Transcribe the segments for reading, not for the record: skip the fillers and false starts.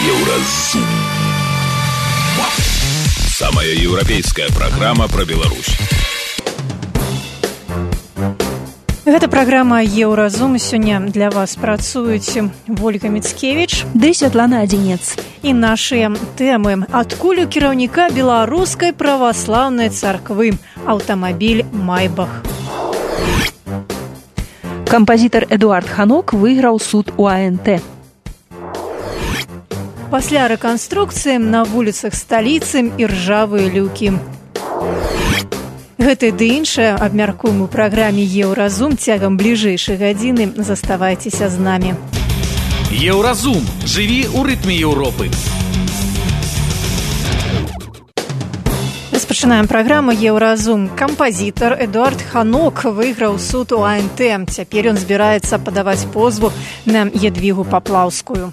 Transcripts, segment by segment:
Еўразум. Самая еўрапейская праграма пра Беларусь. Гэта праграма «Еўразум». Сёння для вас працуюць Вольга Міцкевіч ды Святлана Адзінец. І нашыя тэмы. Адкуль у кіраўніка беларускай праваслаўнай царквы аўтамабіль «Майбах». Кампазітар Эдуард Ханок выйграў суд у АНТ. Пасля рэканструкцыі на вуліцах сталіцы іржавыя люкі. Гэта ды іншае абмяркуем у праграме «Еўразум» цягам бліжэйшай гадзіны. Заставайцеся з намі. Еўразум. Жыві ў рытме Еўропы. Распачынаем праграму «Еўразум». Кампазітар Эдуард Ханок выйграў суд у АНТ. Цяпер ён збіраецца падаваць позву на Ядвігу Паплаўскую.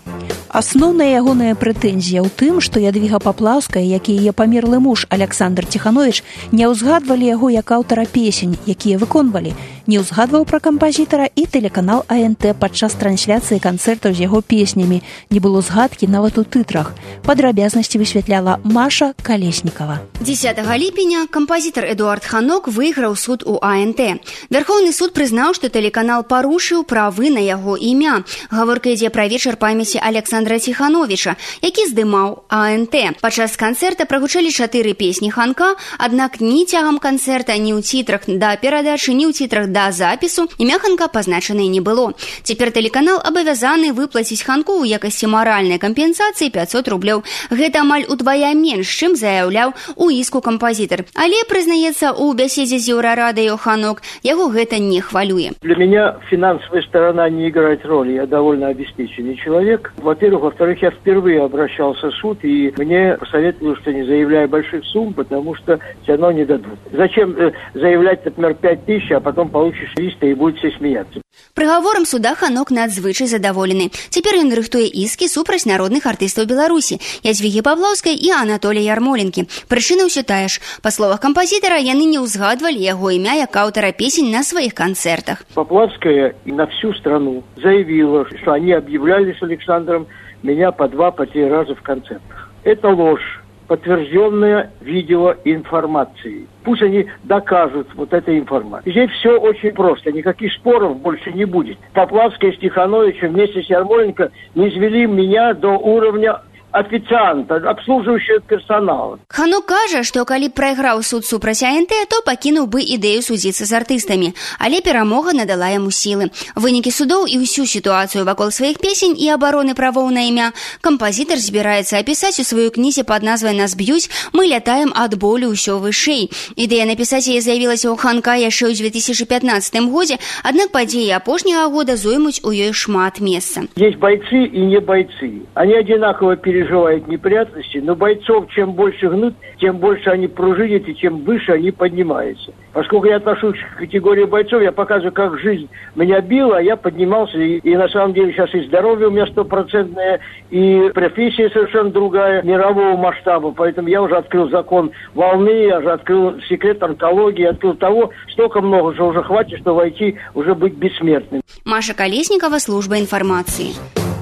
Асноўная ягоная прэтэнзія ў тым, што Ядвіга Паплаўская, як і яе памерлы муж Александр Ціхановіч, не ўзгадвалі яго як аўтара песень, якія выконвалі. Не ўзгадваў пра кампазітара і тэлеканал АНТ падчас трансляцыі канцэртаў з яго песнямі. Не было згадкі нават у тытрах. Падрабязнасці высвятляла Маша Калеснікава. 10 ліпеня кампазітар Эдуард Ханок выйграў суд у АНТ. Вярхоўны суд прызнаў, што тэлеканал парушыў правы на яго імя. Гаворка ідзе пра вечар памяці Александра Ціхановіча, які здымаў АНТ. Падчас канцэрта прагучалі 4 песні Ханка, аднак ні цягам канцэрта, ні ў цітрах да перадачы, ні ў цітрах да запісу імя Ханка пазначанае не было. Цяпер тэлеканал абавязаны выплаціць Ханку ў якасці маральнай кампенсацыі 500 рублёў. Гэта амаль удвая менш, чым заяўляў у іску кампазітар. Але, прызнаецца, у бяседзе з Еўрарадыё Ханок, яго гэта не хвалюе. Для меня финансовая сторона не играет роли. Я довольно обеспеченный человек. Во-первых. Во-вторых, я впервые обращался в суд, и мне посоветовали, что не заявляй больших сумм, потому что все равно не дадут. Зачем заявлять, например, 5000, а потом получишь 300 и будут все смеяться. Прыгаворам суда Ханок надзвычай задаволены. Цяпер ён рыхтуе іскі супраць народных артыстаў Беларусі, Ядвігі Паплаўскай і Анатолія Ярмоленкі. Прычына ўсё тая ж. Па словах кампазітара, яны не ўзгадвалі яго імя як аўтара песень на сваіх канцэртах. Паплавская на всю страну заявила, что они объявляли с Александром меня по 2-3 раза в концертах. Это ложь, подтвержденная видеоинформацией. Пусть они докажут вот этой информацией. Здесь все очень просто, никаких споров больше не будет. Поплавская с Тихановичем вместе с Ярмоленко не извели меня до уровня офіцыанта, абслужваючага персонала. Ханок кажа, што калі прайграў суд супраць АНТ, то пакінуў бы ідэю судзіцца з артыстамі, але перамога надала яму сілы. Вынікі судоў і ўсю сітуацыю вакол сваіх песень і абароны правоў на імя кампазітар збіраецца апісаць у сваёй кнізе пад назвай «Нас б'юць, мы лятаем ад болю ўсё вышэй». Ідэя напісаць яе з'явілася ў Ханка яшчэ ў 2015 годзе, аднак падзеі апошняга года зоймуць у ёй шмат месца. Есть бойцы и не бойцы. Они одинаково переживают неприятности, но бойцов чем больше гнут, тем больше они пружинят и чем выше они поднимаются. Поскольку я отношусь к категории бойцов, я показываю, как жизнь меня била, а я поднимался, и на самом деле сейчас и здоровье у меня 100%, и профессия совершенно другая, мирового масштаба, поэтому я уже открыл закон волны, я уже открыл секрет онкологии, открыл того, столько много, что уже хватит, что войти, уже быть бессмертным. Маша Калеснікава, служба інфармацыі.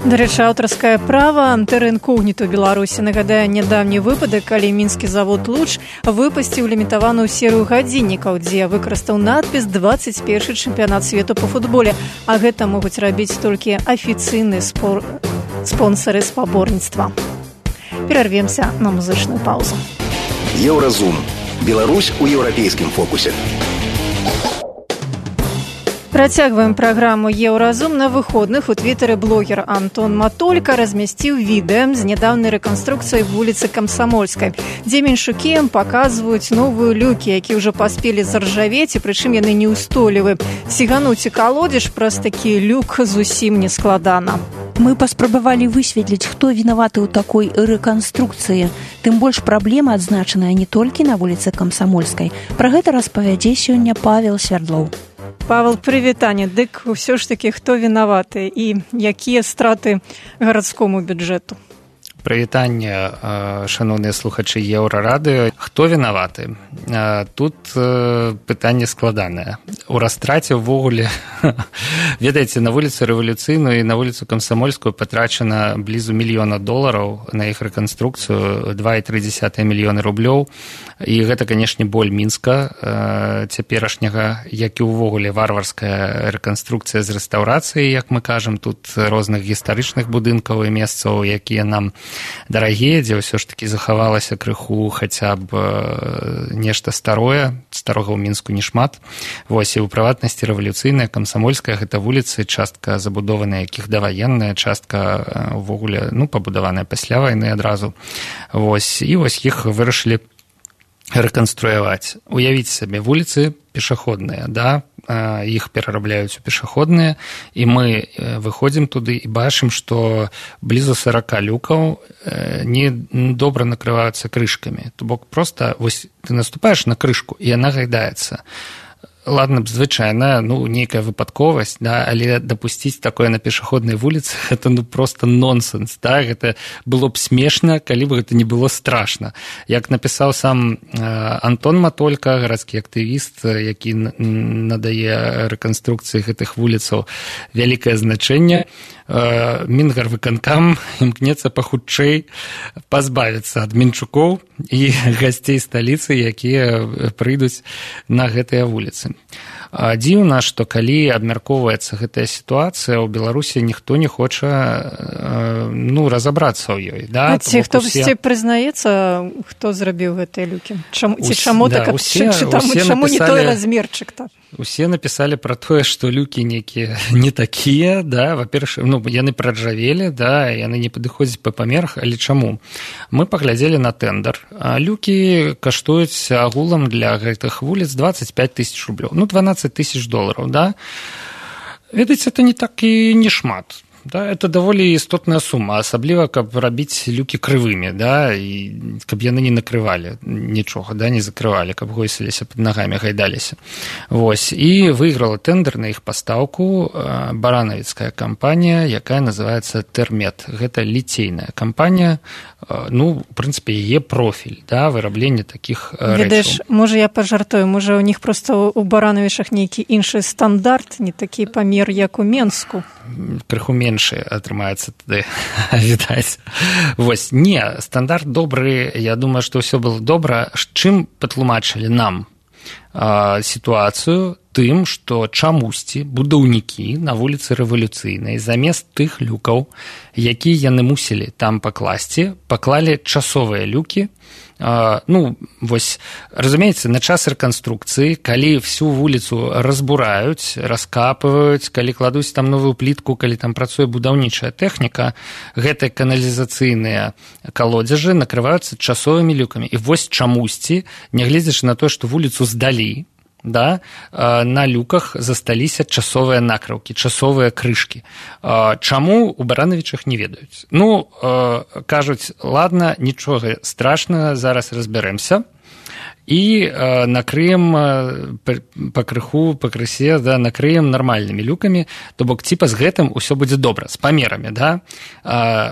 Дарэчы, аўтарскае права тэрра інкогніта ў Беларусі нагадае нядаўні выпадак, калі мінскі завод «Луч» выпусціў лімітаваную серыю гадзіннікаў, дзе выкарыстаў надпіс «21 чэмпіянат свету па футболе», а гэта могуць рабіць толькі афіцыйныя спонсары спаборніцтва. Перарвемся на музычную паузу. Еўразум. Беларусь у еўрапейскім фокусе. Працягваем праграму «Еўразум». На выходных у твітары блогер Антон Матолька размясціў відэа з нядаўнай рэканструкцыяй вуліцы Камсамольскай, дзе меншукі паказваюць новыя люкі, якія ўжо паспелі заржавець, і прычым яны неўстойлівы. Сігануць і калодзеж праз такі люк зусім не складана. Мы паспрабавалі высветліць, хто вінаваты ў такой рэканструкцыі. Тым больш праблема адзначаная не толькі на вуліцы Камсамольскай. Пра гэта распавядзе сёння Павел Свярдлоў. Павел, прывітанне. Дык ўсё ж такі хто вінаваты і якія страты гарадскому бюджэту? прывітанне, шановныя слухачы Еўрарадыё. Хто вінаваты? Тут пытанне складанае. У растраце ўвогуле, ведаеце, на вуліцу Рэвалюцыйную і на вуліцу Камсамольскую патрачана блізу $1 000 000 на іх рэканструкцыю, 2,3 мільёны рублёў. І гэта, канешне, боль Мінска цяперашняга, як і ўвогуле варварская рэканструкцыя з рэстаўрацыяй, як мы кажам, тут розных гістарычных будынкаў і месцаў, якія нам дарагія, дзе ўсё ж такі захавалася крыху хаця б нешта старое, старога ў Мінску не шмат. Вось, і ў прыватнасці Рэвалюцыйная, Камсамольская, гэта вуліцы, частка забудованая, якіх даваенная, частка ўвогуле, пабудаваная пасля вайны адразу. Вось, і вось іх вырашылі рэканструяваць. Уявіце сабе, вуліцы пешаходныя, да, іх перарабляюць у пешаходныя, і мы выходзім туды і бачым, што блізу 40 люкаў не добра накрываюцца крышкамі. То бок проста, вось, ты наступаеш на крышку, і яна гайдаецца. Ладно б, звычайна, нейкая выпадковасць, да, але дапусціць такое на пешаходнай вуліцы, гэта проста нонсенс, да, гэта было б смешна, калі б гэта не было страшна. Як напісаў сам Антон Матолька, гарадскі актывіст, які надае рэканструкцыі гэтых вуліцаў вялікае значэнне, Мінгарвыканкам імкнецца пахутчэй пазбавіцца ад мінчукоў і гасцей сталіцы, якія прыйдуць на гэтыя вуліцы. Дзіўна, што калі абмяркоўваецца гэтая сітуацыя, у Беларусі ніхто не хоча разабрацца ў ёй. Да? Ці хтосьці прызнаецца, хто зрабіў гэтыя люкі? Чаму не той размерчык-то? Усе напісалі пра тое, што люкі нейкія не такія, да, во-первых, яны праджавелі, да, яны не падыходзяць па памерах, але чаму? Мы паглядзелі на тэндар. Люкі каштуюць агулам для гэтых вуліц 25 000 рублёў. $12 000, да. Ведаеце, это не так і не шмат. Да, это даволі істотная сума, асабліва, каб рабіць люкі крывымі, да, і каб яны не накрывалі нічога, да, не закрывалі, каб гойсіліся пад нагамі, гайдаліся. Вось, і выйграла тендер на іх пастаўку баранавіцкая кампанія, якая называецца Тэрмет. Гэта ліцейная кампанія, в прынцыпе, яе профіль, да, вырабленне такіх рэчаў. Ведаеш, можа, я пажартую, можа, у них просто у Баранавічах нейкі іншы стандарт, не такі памер, як у Менску. Крыху меншы атрымаецца тады, відаць. Вось, не, стандарт добры, я думаю, што ўсё было добра. Чым патлумачылі нам сітуацыю? Тым, што чамусьці будаўнікі на вуліцы Рэвалюцыйнай замест тых люкаў, якія яны мусілі там пакласці, паклалі часовыя люкі. Вось, разумееце, на час рэканструкцыі, калі всю вуліцу разбураюць, раскапываюць, калі кладуць там новую плітку, калі там працуе будаўнічая тэхніка, гэтыя каналізацыйныя калодзежы накрываюцца часовымі люкамі. І вось чамусьці, нягледзячы на тое, што вуліцу здалі, да, на люках засталіся часовыя накрыўкі, часовыя крышкі. Чаму у Баранавічах не ведаюць? Кажуць, ладно, нічога страшнага, зараз разбярэмся і накрыем пакрысе, да, накрыем нармальнымі люкамі, то бок ціпа з гэтым усё будзе добра, з памерамі, да.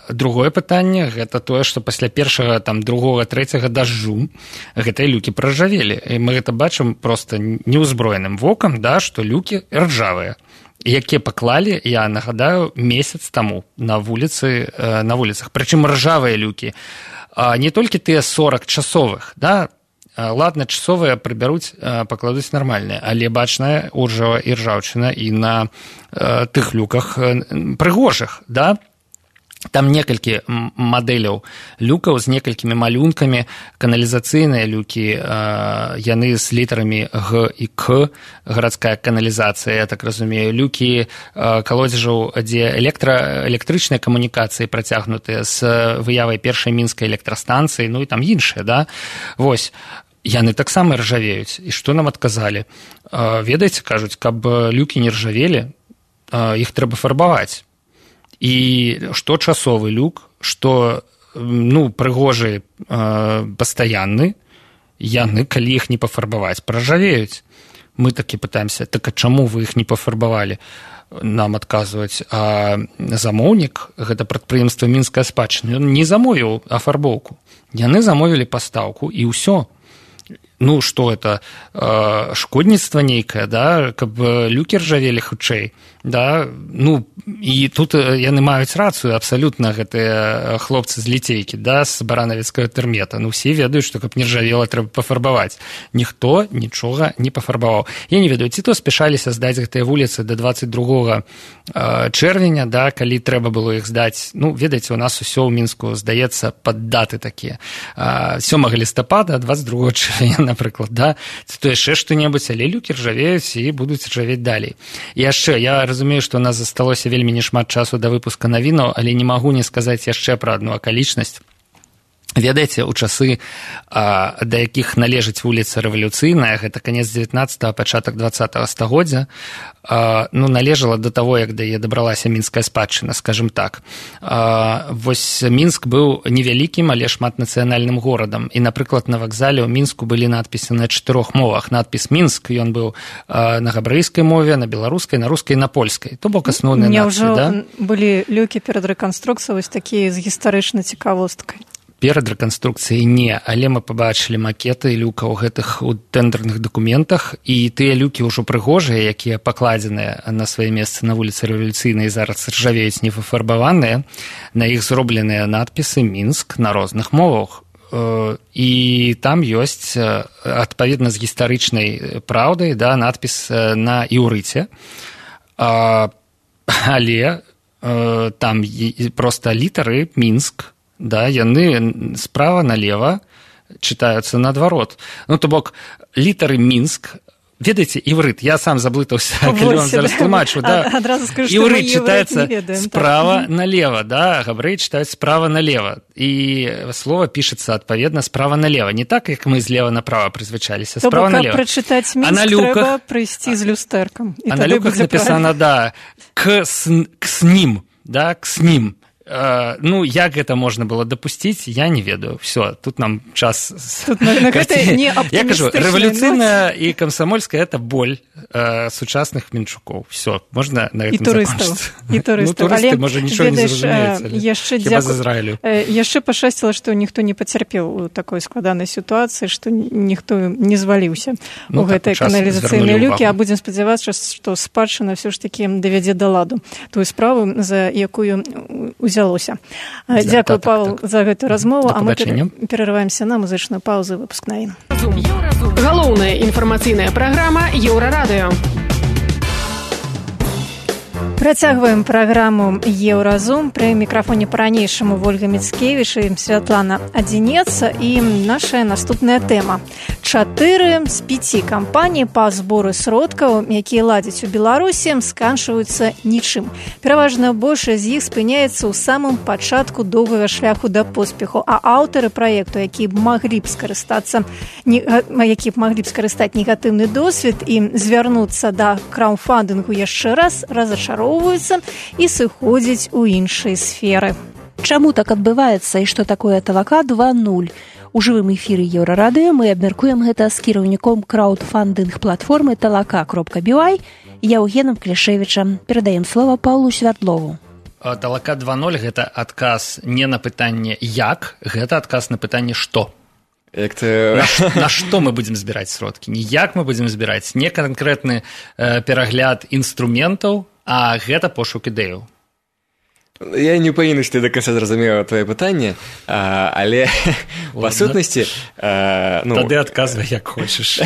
Другое пытанне, гэта тое, што пасля першага, там, другога, трэцяга дажджу гэтыя люкі праржавелі. І мы гэта бачым проста неўзброеным вокам, да, што люкі ржавыя, якія паклалі, я нагадаю, месяц таму на вуліцах. Прычым ржавыя люкі. Не толькі тыя 40 часовых, да, ладно, часовыя прыбяруць, пакладуць нармальныя, але бачная уржава і ржаўчына і на тых люках прыгожых, да? Там некалькі мадэляў люкаў з некалькімі малюнкамі, каналізацыйныя люкі, яны з літарамі Г і К, гарадская каналізацыя, я так разумею, люкі калодзежаў, дзе электрычныя камунікацыі працягнутыя з выявай першай мінскай электрастанцыі, і там іншыя, да? Вось, яны таксама ржавеюць. І што нам адказалі? Ведаеце, кажуць, каб люкі не ржавелі, іх трэба фарбаваць. І што часовы люк, што прыгожы пастаянны, яны, калі іх не пафарбаваць, праржавеюць. Мы такі пытаемся, так а чаму вы іх не пафарбавалі? нам адказваць, а замоўнік, гэта прадпрыемства мінская спадчына, ён не замовіў афарбоўку, яны замовілі пастаўку і ўсё. Ну, што это, шкодніцтва нейкае, да, каб люкі ржавелі хутчэй, да, ну, і тут яны маюць рацыю абсалютна, гэтыя хлопцы з ліцейкі, да, з баранавіцкага тэрмета, ну, все ведаюць, што каб не ржавела, трэба пафарбаваць. Ніхто нічога не пафарбаваў. Я не ведаю, ці то спяшаліся здаць гэтыя вуліцы да 22 чэрвеня, да, калі трэба было іх здаць, ну, ведаеце, у нас усё ў Мінску здаецца пад даты такія. 7 лістапада, 22 чэрвеня, напрыклад, да, ці то яшчэ што-небудзь, але люкі ржавеюць і будуць ржавець далей. І яшчэ, я разумею, што у нас засталося вельмі нешмат часу да выпуска навінаў, але не магу не сказаць яшчэ пра адну акалічнасць. Ведаеце, у часы, да якіх належыць вуліца Рэвалюцыйная, гэта канец 19-го, пачатак 20-го стагоддзя, ну, належала да таго, як да яе дабралася мінская спадчына, скажем так. Вось Мінск быў невялікім, але шматнацыянальным горадам. І, напрыклад, на вакзале ў Мінску былі надпісы на 4 мовах. Надпіс «Мінск», ён быў на габрэйскай мове, на беларускай, на рускай, на польскай. То бок асноўныя надпісы, да? Няўжо былі люкі перад рэканструкцыяй вось такія з гістарычнай цікавосткай? Перад рэканструкцыяй не, але мы пабачылі макеты люкаў гэтых у тэндарных дакументах, і тыя люкі ўжо прыгожыя, якія пакладзеныя на свае месцы на вуліцы Рэвалюцыйнай, зараз ржавеюць непафарбаваныя, на іх зробленыя надпісы «Мінск» на розных мовах. І там ёсць, адпаведна з гістарычнай праўдай, да, надпіс на іўрыце, але там проста літары «Мінск», да, яны справа налева чытаюцца наадварот. Ну, то бок, літары «Мінск», ведаеце, іврыт, я сам заблытаўся, калі вам зараз тлумачу, да, іврыт чытаецца справа налева, да, габрэі чытаюць справа налева, і слова пішацца адпаведна справа налева, не так, як мы злева направа прызвычаліся, справа налева. То бок, каб прачытаць «Мінск», трэба прыйсці з люстэркам. А на люках напісана, да, к снім, да, к снім. Ну, як гэта можна было дапусціць, я не ведаю. Все, тут нам час... Тут на гэта не аптымістычная. Я кажу, рэвалюцыйная і камсамольская – это боль сучасных мінчукоў. Все, можна на гэтым закончыць. І туристаў. Ну, турысты, можа, нічого не зразумеюць, хіба з Ізраілю. Яшчэ пашчасціла, што ніхто не пацярпеў у такой складанай сітуацыі, што ніхто не зваліўся у гэтай каналізацыйнай люкі, а будзем спадзявацца, што спадчына ўсё ж такі давядзе да ладу тую справу, за якую узялося. Дзякую, Павел, за гэтую размову, а мы перарываемся на музычную паузу, выпуск навін. Галоўная інфармацыйная праграма Еўрарадыё. Працягваем праграму «Еўразум». Пры мікрафоне па-ранейшаму Вольга Міцкевіч і Святлана Адзінец. І наша наступная тэма. 4 з 5 кампаній па збору сродкаў, якія ладзяць у Беларусі, сканчваюцца нічым. Пераважна большасць з іх спыняецца ў самым пачатку доўгага шляху да поспеху, а аўтары праекту, якія б маглі б скарыстаць негатыўны досвед і звярнуцца да краўдфандынгу яшчэ раз, разачароўваюцца і сыходзяць у іншыя сферы. Чаму так адбываецца і што такое Талака 2.0? У жывым эфіры Еўрарадыё мы абмяркуем гэта з кіраўніком краўдфандынг-платформы talaka.by Яўгенам Клішевічам. Перадаем слова Паўлу Свярдлову. Талака 2.0 – гэта адказ не на пытанне «як», гэта адказ на пытанне «што». На што мы будзем збіраць сродкі? Не як мы будзем збіраць, не канкрэтны перагляд інструментаў, а гэта пошук ідэяў. Я не павінен, што я да канца зразумеў твоё пытанне, але па сутнасці... Тады адказвай, як хочаш.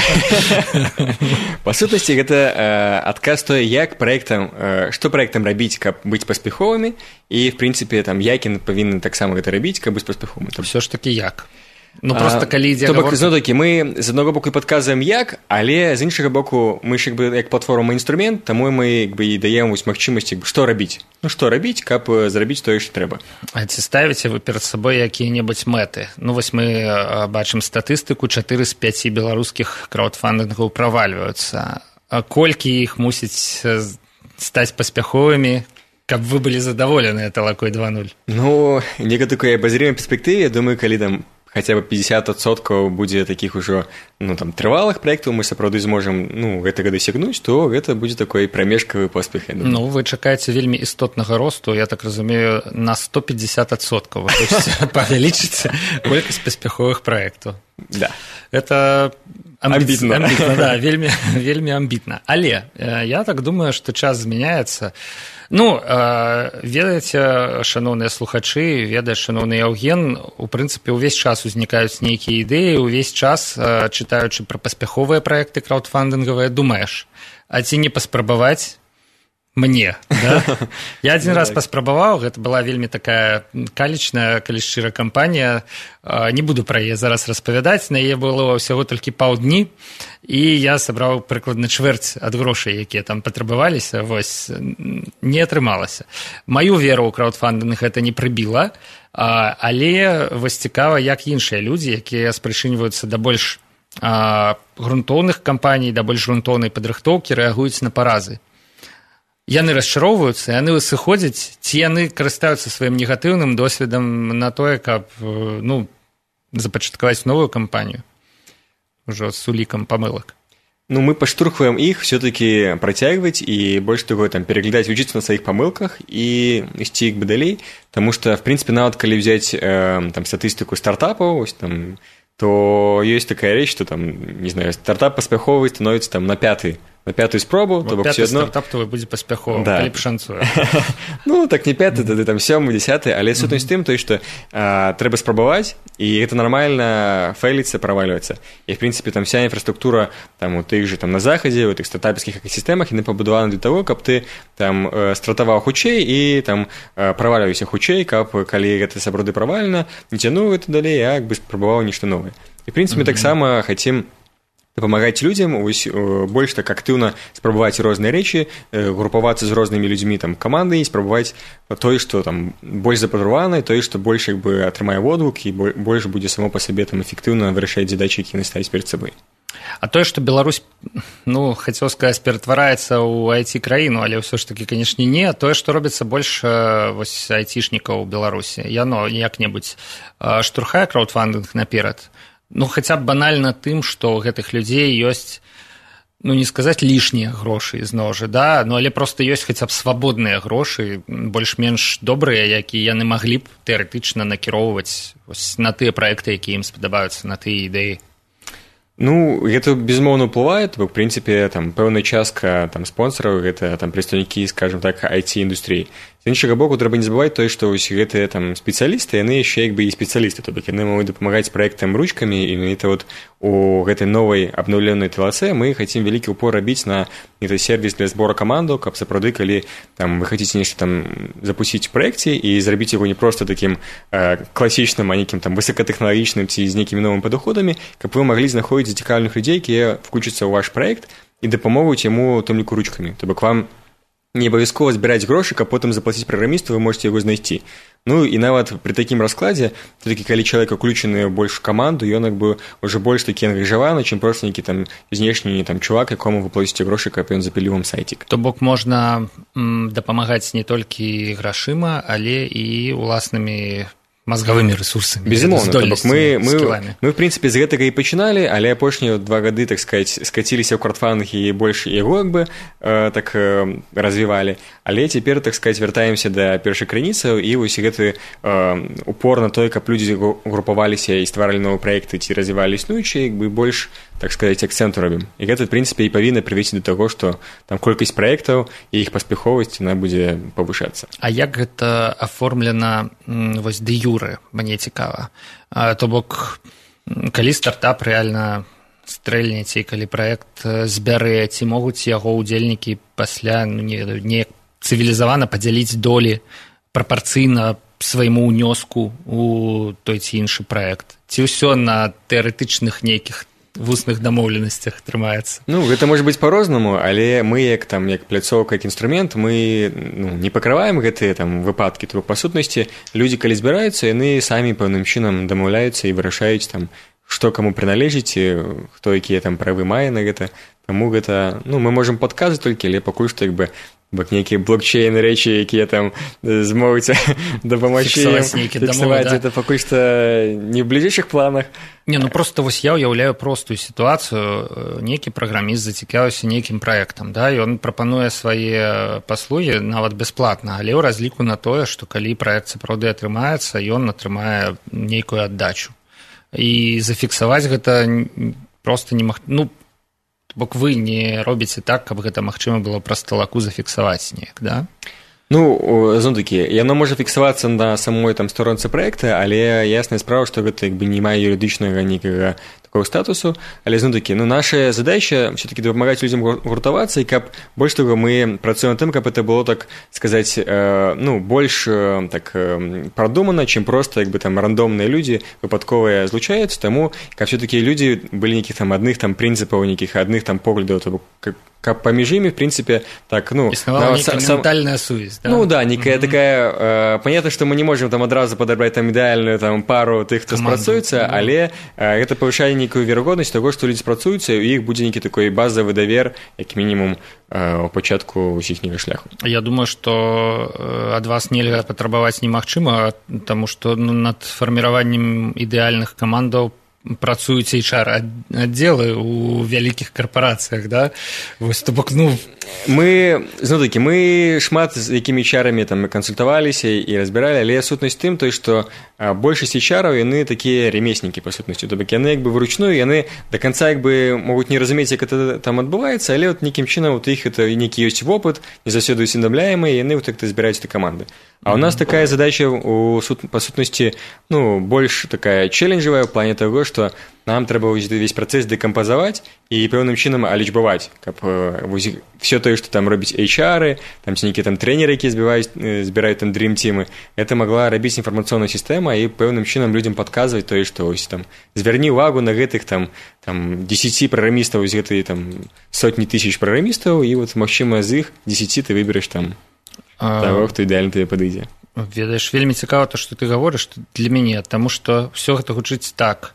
Па сутнасці, гэта адказ тое, як праектам, што праектам рабіць, каб быць паспяховымі, і, в прынцыпе, які павінны таксама гэта рабіць, каб быць паспяховымі. Ўсё ж такі як? Ну, просто калі ідзе гаворка... Зноў-такі, мы з аднаго боку падказваем як, але з іншага боку мы ж як платформа інструмент, таму мы і даем магчымасць, што рабіць. Ну, што рабіць, каб зрабіць тое, што трэба. А ці ставіце вы перад сабой якія-небудзь мэты? Ну, вось мы бачым статыстыку, 4 з 5 беларускіх краўдфандынгаў правальваюцца. А колькі іх мусіць стаць паспяховымі, каб вы былі задаволеныя Талакой 2.0? Ну, некай такой абазрымай перспектыве, я думаю, калі там хаця бы 50% будзе такіх ужо трывалых праектаў, мы сапраўды зможам гэтага дасягнуць, то гэта будзе такой прамежкавы поспех. Вы чакаеце вельмі істотнага росту, я так разумею, на 150%. Павялічыць колькасць паспяховых праектаў. Да. Это амбітна. Да, вельмі амбітна. Але я так думаю, што час змяняецца. Ведаеце, шаноўныя слухачы, ведае шаноўны Яўген, у прынцыпе, увесь час узнікаюць нейкія ідэі, увесь час, чытаючы пра паспяховыя праекты краўдфандынгавыя, думаеш, а ці не паспрабаваць мне, да? Я адзін раз паспрабаваў, гэта была вельмі такая калічная, калі шчыра кампанія, не буду пра яе зараз распавядаць, на яе было ўсяго толькі паўдні, і я сабраў прыкладна чвэрць ад грошай, якія там патрабаваліся, не атрымалася. Маю веру ў краўдфандынг гэта не прыбіла, але цікава, як іншыя людзі, якія спрычыньваюцца да больш грунтоўных кампаній, да больш грунтоўнай падрыхтоўкі, рэагуюць на паразы. Яны расчароўваюцца, яны сыходзяць, ці яны карыстаюцца сваім негатыўным досведам на тое, каб запачаткаваць новую кампанію ўжо з улікам памылак. Мы паштурхваем іх все-таки працягваць і больш таго пераглядаць, вучыцца на сваіх памылках і ісці далей, таму што, в прынцыпе, нават калі взяць статыстыку стартапаў, то ёсць такая рэч, што стартап паспяховы становіцца на пятую спробу, то бок все адно стартап твой будзе паспяховым, калі пашанцуе. Так не пяты, тады 7-й, 10-й, але сутнасць тым, што трэба спрабаваць, і гэта нармальна фейліцца, правальваецца. І, в прынцыпе, вся інфраструктура у тых же на захадзе, у тых стартапскіх экасістэмах, яны пабудаваны для таго, каб ты стартаваў хутчэй і правальваўся хутчэй, каб калі гэта сапраўды правальна, не цянуў гэта далей, а спрабаваў нешта новае. І, в прынцыпе, таксама хацім дапамагаць людзям больш так актыўна спрабаваць розныя рэчы, групавацца з рознымі людзьмі камандай, спрабаваць тое, што больш запатрабавана, тое, што больш атрымае водгук і больш будзе само па сабе эфектыўна вырашаць задачы, якія яны ставяць перад сабой. А тое, што Беларусь, хацеў сказаць, ператвараецца ў IT-краіну, але ўсё ж такі, канешне, не. Тое, што робіцца больш айцішнікаў у Беларусі, яно як-небудзь штурхае краўдфандынг наперад. Хаця б банальна тым, што ў гэтых людзей ёсць, не сказаць лішнія грошы зноў жа, да, але проста ёсць хаця б свабодныя грошы, больш-менш добрыя, якія яны маглі б тэарэтычна накіроўваць на тыя праекты, якія ім спадабаюцца, на тыя ідэі. Гэта безумоўна ўплывае, бо, в прынцыпе, пэўная частка спонсараў, гэта прадстаўнікі, скажем так, IT-індустрыі. З іншага боку, трэба не забываць тое, што ўсе гэтыя спецыялісты, яны яшчэ і спецыялісты, то бок яны могуць дапамагаць праектам ручкамі, і у гэтай новай абноўленай ТЛЦ мы хацім вялікі ўпор рабіць на сервіс для збора камандаў, каб сапраўды, калі вы хацеце нешта запусціць у праекце і зрабіць яго не проста такім класічным, а нейкім высокатэхналагічным ці з нейкімі новымі падыходамі, каб вы маглі знаходзіць зацікаўленых людзей, якія включацца ў ваш праект і дапамогуць яму у тым ліку ручкамі. То бок вам не абавязкова збіраць грошы, каб потым заплаціць праграмісту, вы можете яго знайсці. І нават пры такім раскладзе, все-таки калі чалавек уключаны больш у каманду, ён уже больш такі ангажаваны, чым проста нейкі знешні чувак, якому вы плаціце грошы, каб ён запіліў вам сайцік. То бок можна дапамагаць не толькі грашыма, але і уласнымі мозговымі ресурсамі. Безумоўна, мы в прынцыпе з гэтага і пачыналі, але апошнія 2 гады, так сказаць, скаціліся ў краўдфандынг і больш яго так развівалі. Але цяпер, так сказаць, вяртаемся да першай крыніцаў і вось гэты упор на тое, каб людзі групаваліся і стваралі новыя праекты ці развівалі існуючыя, больш, так сказаць, акцэнту робім. І гэта, в прынцыпе, і павінна прывесці да таго, што колькасць праектаў і іх паспяховасць яна будзе павышацца. А як гэта аформлена вось дэ юрэ? Мне цікава. То бок, калі стартап рэальна стрэльне, ці калі праект збярэ, ці могуць яго ўдзельнікі пасля неяк цывілізавана падзяліць долі прапарцыйна свайму ўнёску у той ці іншы праект? Ці ўсё на тэарэтычных нейкіх вусных дамоўленасцях трымаецца? Гэта можа быць па-рознаму, але мы як пляцоўка, як інструмент, мы не пакрываем гэтыя выпадкі. То па сутнасці, людзі, калі збіраюцца, яны самі пэўным чынам дамаўляюцца і вырашаюць, што каму прыналежыць, хто якія там правы мае на гэта. Таму гэта, ну, мы можам падказваць толькі, але пакуль што як бы нейкія блокчейны рэчы, якія там змогуць дапамагчы фіксаваць, гэта пакуль што не ў бліжэйшых планах. Не, ну просто вось я ўяўляю простую сітуацыю. Нейкі праграміст зацікавіўся нейкім праектам, да, і ён прапануе свае паслугі нават бясплатна, але ў разліку на тое, што калі праект сапраўды атрымаецца, ён атрымае нейкую аддачу. І зафіксаваць гэта проста немагчыма. Ну, бок вы не робіце так, каб гэта магчыма было праз талаку зафіксаваць неяк, да? Ну, зноў-такі, яно можа фіксавацца на самой там сторонцы праекта, але ясная справа, што гэта як бы не мае юрыдычнага нейкага такого статусу, але зноў-такі, ну, наша задача все-таки дапамагаць людзям гуртавацца, і каб больш того мы працуем над тым, каб это было, так сказаць, ну, больш так прадумана, чым проста як бы там рандомныя людзі выпадковыя злучаюцца, таму каб все-таки людзі былі нейкіх там адных там прынцыпаў, нейкіх адных там поглядаў, то каб паміж імі, в принципе, так, ну... Існавала нейкая ментальная сувязь, да? Ну, да, некая такая... Понятно, что мы не можем там адразу подобрать там ідэальную там пару тых, хто спрацуецца, але гэта павышае нейкую верагоднасць таго, што людзі спрацуюцца, і ў іх будзе нейкі такой базавы давер, як мінімум, у пачатку іхняга шляху. Я думаю, што ад вас нельга патрабаваць немагчыма, таму што над фарміраваннем ідэальных камандаў працуюць HR-аддзелы ў вялікіх карпарацыях, да? Вось, то бок, ну... Мы, зноў-такі, мы шмат з якімі HR-амі там кансультаваліся і разбіралі, але сутнасць тым, той, што большасць HR-аў, яны такія ремеснікі, па сутнасці. То бок, яны як бы вручную, яны да канца як бы могуць не разумець, як это там адбываецца, але от нейкім чынам у іх это нейкі ёсць вопыт, не заўсёды усведамляемы, і яны вот так збіраюць этой каманды. А у нас такая задача, па сутнасці, ну, больш такая челленджавая ў плане таго, што нам трэба ўвесь працэс дэкампазаваць і пэўным чынам алічбаваць, каб все тое, што там робіць HR-ы, там ці нейкія там трэнеры, якія збіраюць там дрім-цімы, гэта магла рабіць інфармацыйная сістэма і пэўным чынам людзям падказваць тое, што ось там звярні ўвагу на гэтых там 10 праграмістаў з гэтай там сотні тысяч праграмістаў, і вот магчыма з іх 10 ты выбераш там таго, хто ідэальна тебе падыдзе. Ведаеш, вельмі цікава то, што ты гаворыш для мяне, таму што ўсё гэта гучыць так.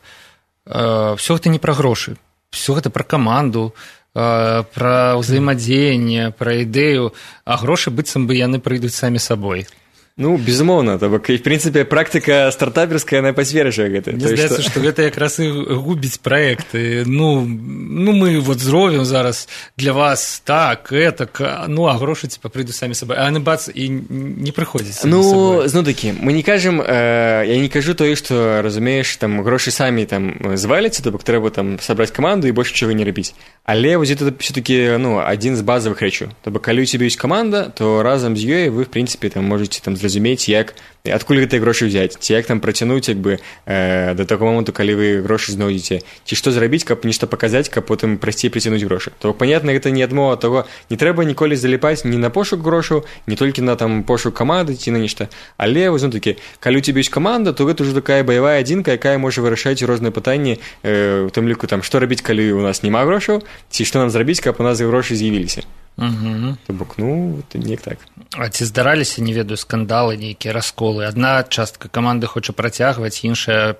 Все гэта не пра грошы, все гэта пра каманду, пра ўзаемадзеянне, пра ідэю, а грошы быццам бы яны прыйдуць самі сабой. Ну, безумоўна, то бок, і, в прынцыпе, практыка стартаперская, яна пацверджвае гэта. Мне здаецца, што гэта якраз і губіць праекты. Ну, мы вот зробім зараз для вас так, этак, ну, а грошы, типа, прыйдуць самі сабой. А яны, бац, і не прыходзяць самі сабой. Ну, зноў-такі, мы не кажам, я не кажу тое, што, разумееш, там, грошы самі там зваляцца, то бок, трэба там сабраць каманду і больш чаго не рабіць. Але вось гэта все-таки, ну, адзін з базавых рэчаў. То бок, калі у цябе ёсць каманда, то разам з ёй вы, в прынцыпе, там можаце там зразумець, як, адкуль гэтыя грошы ўзяць, ці як там працянуць, як бы, да таго моманту, калі вы грошы знойдзеце, ці што зрабіць, каб нешта паказаць, каб потым прасцей прыцянуць грошы. То, понятна, гэта не адмова таго, не трэба ніколі заліпаць ні на пошук грошаў, не толькі на там пошук каманды ці на нешта, але, вось, такі, калі у цябе ёсць каманда, то гэта ўжо такая баявая адзінка, якая можа вырашаць розныя пытанні, у тым ліку, там, што рабіць, калі у нас няма грошаў, ці што нам зрабіць, каб у нас грошы з'явіліся. То бок, ну, неяк так. А ці здараліся, не ведаю, скандалы, нейкія расколы? Адна частка каманды хоча працягваць, іншая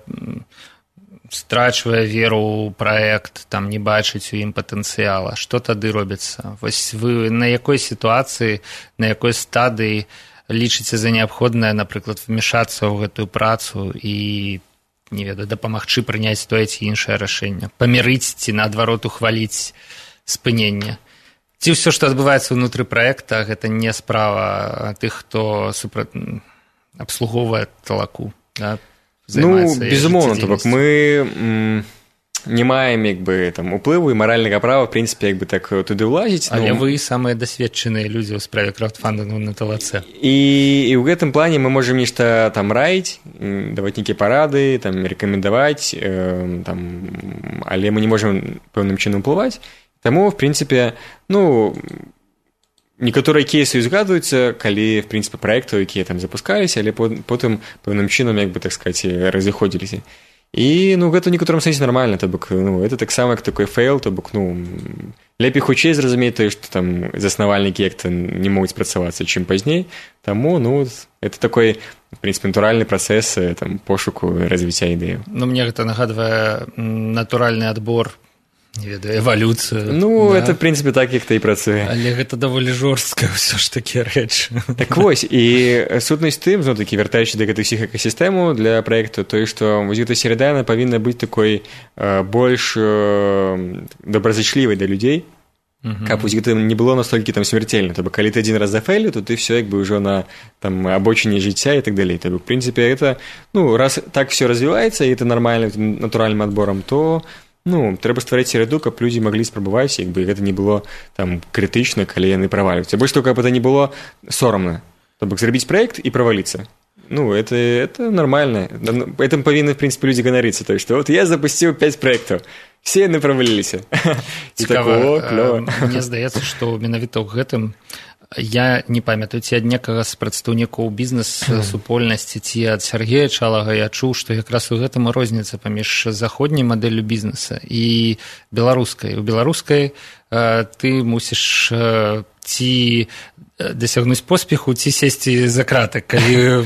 страчвае веру ў праект, там не бачыць у ім патэнцыяла. Што тады робіцца? Вось вы на якой сітуацыі, на якой стадыі лічыце за неабходнае, напрыклад, вмешацца ў гэтую працу і, не ведаю, дапамагчы прыняць тое ці іншае рашэнне? Памірыць ці, наадварот, ухваліць спыненне? Ці ўсё, што адбываецца ўнутры праекта, гэта не справа тых, хто абслугоўвае талаку, да? Ну, безумоўна, то бок мы не маем як бы там уплыву і маральнага права, в прынцыпе, як бы так туды ўлазіць. Але вы самыя дасведчаныя людзі ў справе краудфандынгу на ТЛЦ. І ў гэтым плане мы можам нешта там раіць, даваць нейкія парады, там рэкамендаваць, там, але мы не можам пэўным чынам уплываць. Таму, в прынцыпе, ну, некаторыя кейсы згадваюцца, калі, в прынцыпе, праектаў, якія там запускаліся, але потым пэўным чынам, як бы, так сказаць, разыходзіліся. І ну гэта ў некаторым сэнсе нармальна, то бок ну это таксама як такой фейл, то бок ну лепей хутчэй зразумець тое, што там заснавальнікі як-то не могуць спрацавацца чым пазней, таму ну это такой в прынцыпе натуральны працэс там пошуку і развіцця ідэі. Ну мне гэта нагадвае натуральны адбор, не ведаю, эвалюцыю. Ну, да? это, в прынцыпе, так, як ты і працуе. Але гэта даволі жорстка ўсё ж такі рэч. Так вось, і сутнасць тым, зноў такі, вяртаючы да гэтых усіх экасістэмаў для праекту, тое, што вось гэта серада, яна павінна быць такой больш добразычлівай да людзей, каб вось гэта не было настолькі там смярцельна. То бок, калі ты адзін раз зафейліў, то ты ўсё як бы ўжо на там абочыне жыцця і так далей. То бок, в прынцыпе, гэта, ну, раз так ўсё развіваецца, і это нармальным натуральным адборам, то ну, трэба стварыць сераду, каб людзі маглі спрабаваць, як бы гэта не было там крытычна, калі яны правалююцца. Больш того, каб это не было сорамна. То бок зрабіць праект і праваліцца. Ну, это нормально. Этим павінны, в прынцыпе, людзі ганарыцца. То есть, вот я запусціў 5 праектаў, все яны праваліліся. Цікава. Мне здаецца, што менавіта ў гэтым я не памятаю, ці ад некага з прадстаўнікоў бізнес-супольнасці, ці ад Сергея Чалага я чуў, што якраз у гэтым розніца паміж заходняй мадэллю бізнеса і беларускай. У беларускай ты мусіш ці дасягнуць поспеху, ці сесці за краты, калі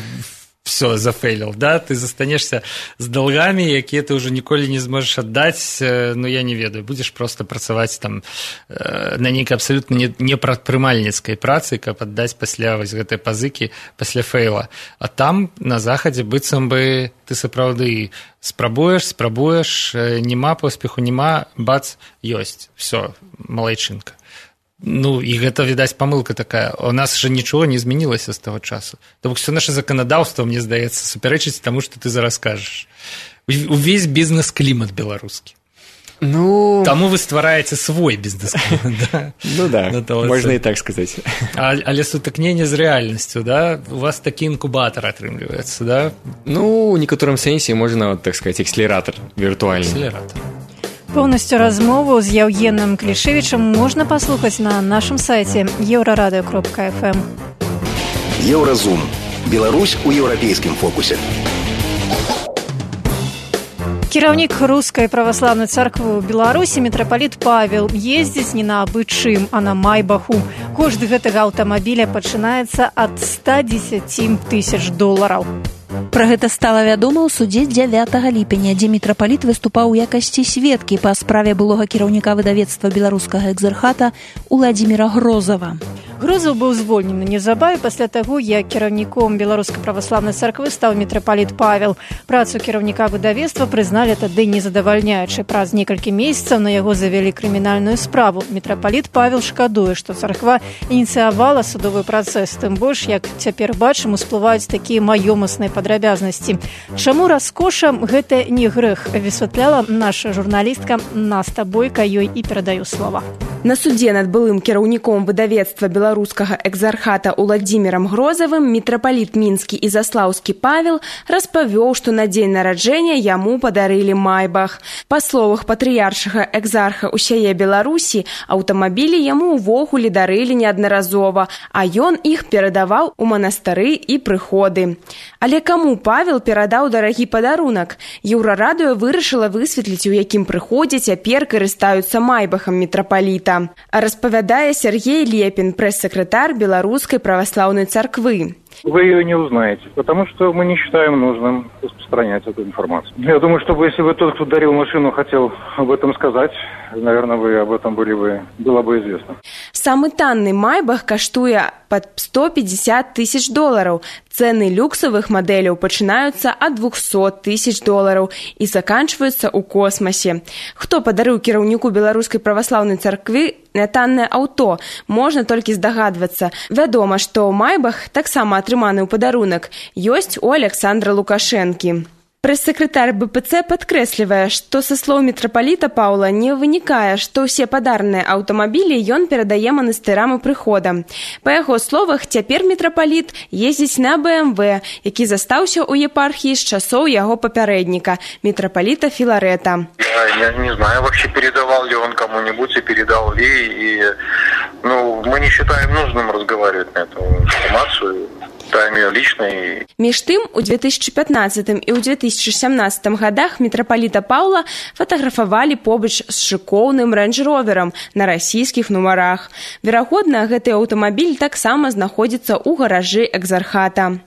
все зафейлил, да, ты застанешься з долгами, якія ты уже ніколі не зможешь аддаць, ну я не ведаю, будешь просто працаваць там на нейкай абсолютно непрадпрымальніцкай працы, каб аддаць пасля вось гэтай пазыкі, пасля фейла. А там на захадзе быццам бы ты сапраўды спрабуеш, няма поспеху, няма, бац, ёсць, все, малайчынка. Ну, і гэта, відаць, памылка такая. У нас же нічого не змянілася з таго часу. То бок, все наше законодаўство, мне здаецца, супярэчыць таму, што ты зараз кажаш. Увесь бізнес-клімат беларускі. Ну... Таму вы ствараеце свой бізнес-клімат, да? Ну да, можна і так сказаць. Але сутыкненне з рэальнасцю, да? У вас такі інкубатар атрымліваецца, да? Ну, у некаторым сэнсе можна, так сказаць, акселератор віртуальны. Акселератор. Поўнасцю размову з Яўгенам Клішевічам можна паслухаць на нашым сайце еўрарадыё.фм. Еўразум. Беларусь у еўрапейскім фокусе. Кіраўнік рускай праваслаўнай царквы ў Беларусі мітрапаліт Павел ездзіць не на абы чым, а на майбаху. Кошт гэтага аўтамабіля пачынаецца ад $110 000. Пра гэта стала вядома ў судзе 9 ліпеня, дзе мітрапаліт выступаў у якасці сведкі па справе былога кіраўніка выдавецтва беларускага экзархата Уладзіміра Грозава. Грозаў быў звольнены неўзабаве пасля таго, як кіраўніком беларускай праваслаўнай царквы стаў мітрапаліт Павел. Працу кіраўніка выдавецтва прызналі тады незадавальняючай. Праз некалькі месяцаў на яго завялі крымінальную справу. Мітрапаліт Павел шкадуе, што царква ініцыявала судовы працэс, тым больш, як цяпер бачым, усплываюць такія маёмасныя падрабязнасці. Чаму раскоша гэта не грэх, высвятляла наша журналістка Наста Бойка, ёй і перадаю слова. На судзе над былым кіраўніком выдавецтва беларускага экзархата Уладзімірам Грозавым мітрапаліт мінскі і заслаўскі Павел распавёў, што на дзень нараджэння яму падарылі майбах. Па словах патрыяршага экзарха ўсяе Беларусі, аўтамабілі яму ўвогуле дарылі неаднаразова, а ён іх перадаваў у манастыры і прыходы. Але каму Павел перадаў дарагі падарунак? Еўрарадыё вырашыла высветліць, у якім прыходзе цяпер карыстаюцца майбахам мітрапаліта. Распавядае Сергей Лепін, пресс-секретарь Белорусской православной церкви. Вы ее не узнаете, потому что мы не считаем нужным распространять эту информацию. Я думаю, что если бы тот, кто дарил машину, хотел об этом сказать, наверное, вы об этом было бы известно. Самый танный майбах каштуе под $150 000. Цены люксовых моделей пачынаюцца ад $200 000 і заканчваюцца ў космосе. Хто падарыў кіраўніку беларускай праваслаўнай царквы нятаннае аўто, можна толькі здагадвацца. Вядома, што майбах таксама атрыманы ў падарунак ёсць у Александра Лукашэнкі. Прэс-секретарь БПЦ падкрэслівае, што са слоў мітрапаліта Паўла не вынікае, што ўсе падарныя аўтамабілі ён перадае манастырам і прыходам. Па яго словах, цяпер мітрапаліт ездзіць на БМВ, які застаўся ў епархіі з часоў яго папярэдніка, мітрапаліта Філарэта. Я не знаю, вообще передавал ли он кому-нибудь и передал ли, и мы не считаем нужным разговаривать на эту информацию. тайме личной. Між тым, у 2015 і ў 2017 годах мітрапаліта Паўла фатаграфавалі побач з шыкоўным рэндж-роверам на расійскіх нумарах. Верагодна, гэты аўтамабіль таксама знаходзіцца ў гаражы экзархата.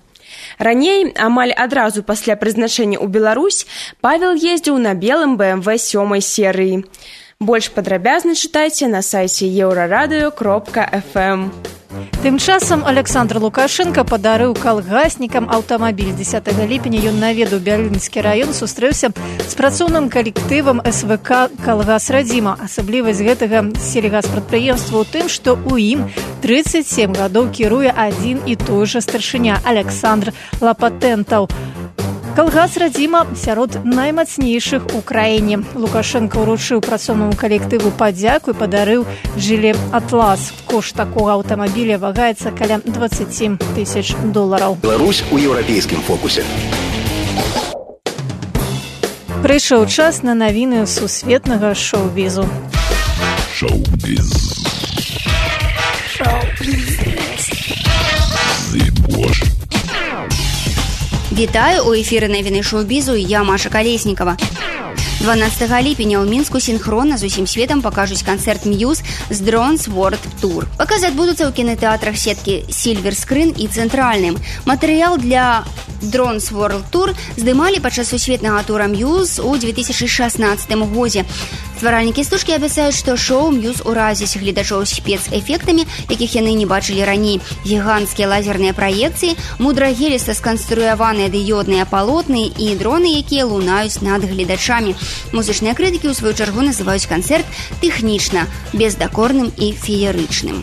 Раней, амаль адразу пасля прызначэння ў Беларусь, Павел ездзіў на белым BMW 7 серыі. Больш падрабязна чытайце на сайце euraradыё.fm. Тым часам Александр Лукашенко падарыў калгаснікам аўтамабіль. 10 ліпеня ён наведаў Бялінскі раён, сустрэўся з працоўным калектывам СВК «Калгас Радзіма». Асаблівасць гэтага сельгаспрадпрыемства ў тым, што ў ім 37 гадоў кіруе адзін і той жа старшыня Александр Лапатэнтаў. Калгас Радзіма сярод наймацнейшых у краіне. Лукашенко ўручыў працоўнаму калектыву падзяку і падарыў жылет «Атлас». Кошт такога аўтамабіля вагаецца каля $27 000. Беларусь у еўрапейскім фокусе. Прыйшоў час на навіны сусветнага шоу-бізу. Шоу-біз. Вітаю, у эфіры навіны шоу-бізу, я Маша Калеснікава. 12 ліпеня ў Мінску сінхронна з усім светам пакажуць канцэрт Muse з Drones World Tour. Паказы адбудуцца ў кінатэатрах сеткі Silver Screen і Цэнтральным. Матэрыял для Drones World Tour здымалі падчас сусветнага тура Muse у 2016 годзе. Стваральнікі стужкі абяцаюць, што шоу Muse уразіць гледачоў спецэфектамі, якіх яны не бачылі раней. Гіганцкія лазерныя праекцыі, мудрагеліста сканструяваныя дыёдныя палотны і дроны, якія лунаюць над гледачамі. Музычныя крытыкі ў сваю чаргу называюць канцэрт тэхнічна, бездакорным і феерычным.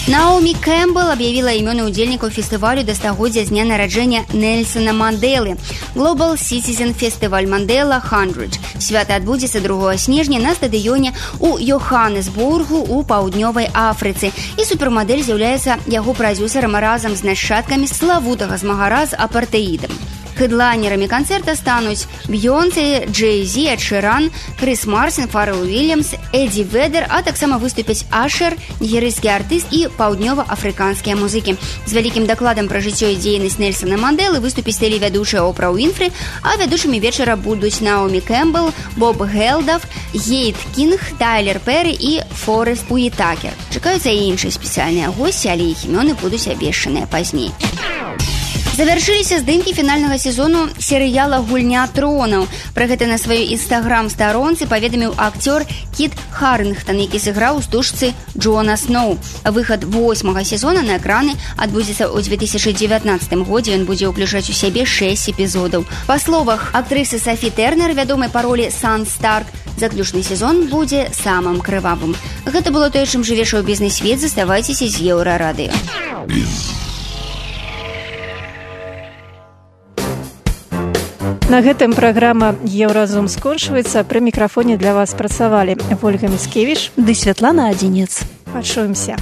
Наомі Кэмпбелл аб'явіла імёны ўдзельнікаў фестывалю да стагоддзя з дня нараджэння Нельсона Мандэлы. Global Citizen Festival Mandela 100. Свята адбудзецца 2 снежня на стадыёне ў Йоханнесбургу ў паўднёвай Афрыцы. І супермадэль з'яўляецца яго прадзюсарам разам з нашчадкамі славутага змагара з апартэідам. Хедлайнерамі канцэрта стануць Бейонсе, Джей-Зі, Эд Ширан, Крис Марсен, Фаррел Уильямс, Эдді Ведер, а таксама выступяць Ашер, нігерыйскі артыст і паўднёва-афрыканскія музыкі. З вялікім дакладам пра жыццё і дзейнасць Нельсона Мандэлы выступіць тэлевядучая Опра Уинфри, а вядучымі вечара будуць Наомі Кэмпбелл, Боб Гелдаф, Гейт Кінг, Тайлер Перрі і Форест Уитакер. Чакаюцца і іншыя спецыяльныя госці, але іх імёны будуць абвешчаныя пазней. Завяршыліся здымкі фінальнага сезону серыяла «Гульня тронаў». Пра гэта на сваёй інстаграм-старонцы паведаміў акцёр Кіт Харінгтон, які сыграў у стужцы Джона Сноу. Выхад 8-го сезона на экраны адбудзецца ў 2019 годзе. Ён будзе ўключаць у сябе 6 эпізодаў. Па словах актрысы Сафі Тэрнер, вядомай па ролі Сан Старк, заключны сезон будзе самым крывавым. Гэта было тое, чым жыве шоу-бізнес-свет. Заставайцеся з Еўрарадыё. На гэтым праграма «Еўразум» скончваецца. Пры мікрафоне для вас працавалі Вольга Міцкевіч ды Святлана Адзінец. Пачуемся.